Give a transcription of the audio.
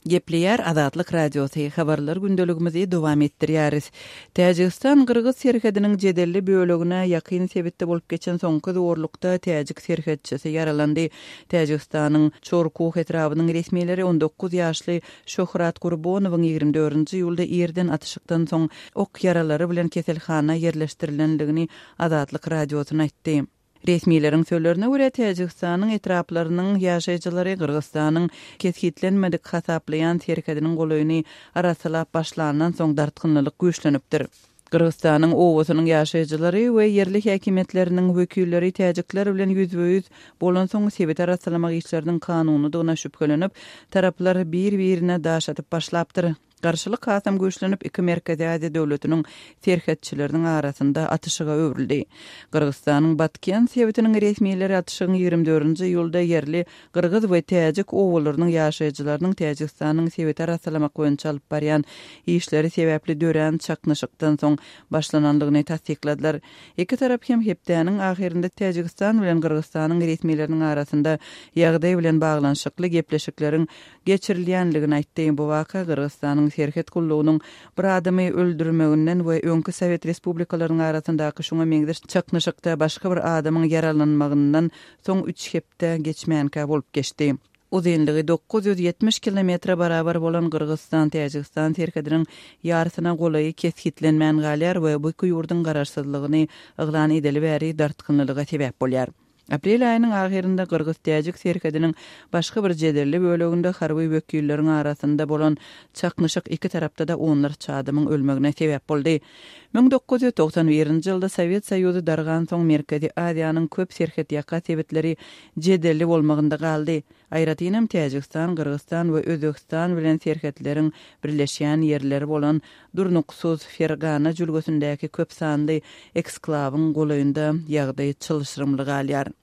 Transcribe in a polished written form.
Gepleýär Azatlyk Radiosy, Habarlar gündeligimizi dowam etdirýäris. Täjigistan-gyrgyz serhediniň jedelli bölegine ýakyn sebitde bolup geçen soňky zorlukda täjik serhetçisi ýaralandy. Täjigistanyň Çorkuh etrabynyň resmileri 19 ýaşly Şöhrat Gurbonowyň 24-nji iýulda irden atyşykdan soň ok ýaralary bilen keselhana ýerleşdirilendigini Azatlyk Radiosyna aýtdy. Resmileriň sözlerine görä, Täjigistanyň etraplarynyň ýaşaýjylary Gyrgyzystanyň kesgitlenmedik hasaplaýan serhediniň golaýyny arassalap başlandan soň dartgynlylyk güýçlenipdir. Gyrgyzystanyň obasynyň ýaşaýjylary we ýerli häkimiýetleriniň wekilleri täjikler bilen ýüzbe-ýüz bolansoň sebiti arassalamak işleriniň kanunydygyna şübhelenip, taraplar bir-birine daş atyp başlapdyr. Garşylyk hasam güýçlenip, iki Merkezi Aziýa döwletiniň serhetçileriniň arasynda atyşyga öwrüldi. Gyrgyzystanyň Batken sebitiniň resmileri atyşygyň 24-nji iýulda ýerli gyrgyz we täjik obalarynyň ýaşaýjylarynyň Täjigistanyň sebiti arassalamak boýunça alyp barýan işleri sebäpli dörän çaknyşykdan soň başlanandygyny tassykladylar. Iki tarap hem hepdäniň ahyrynda Täjigistan bilen Gyrgyzystanyň resmileriniň arasynda ýagdaý bilen baglanyşykly gepleşikleriň geçirilýändigini aýtdy. Bu waka Gyrgyzystanyň serhet gullugynyň bir adamy öldürmeginden we öňki sowet respublikalarynyň arasyndaky şuňa meňzeş çaknyşykda başga bir adamyň ýaralanmagyndan soň üç hepde geçmänkä bolup geçdi. Uzynlygy 970 kilometre barabar bolan Gyrgyzystan-Täjigistan serhediniň ýarysyna golaýy kesgitlenmän galýar we bu iki ýurduň garaşsyzlygyny yglan edeli bäri dartgynlylyga sebäp bolýar. Aprel aýynyň ahyrynda gyrgyz-täjik serhediniň başga bir jedelli böleginde harby wekilleriň arasynda bolan çaknyşyk iki tarapda-da onlarça adamyň ölmegine sebäp boldy. 1991-nji ýylda Sowet Soýuzy dargansoň Merkezi Aziýanyň köp serhetýaka sebitleri jedelli bolmagynda galdy. Aýratynam Täjigistan, Gyrgyzystan we Özbegistan bilen serhetleriň birleşýän ýerleri bolan durnuksyz Fergana jülgesindäki köp sanly eksklawyň golaýynda ýagdaý çylşyrymly galýar.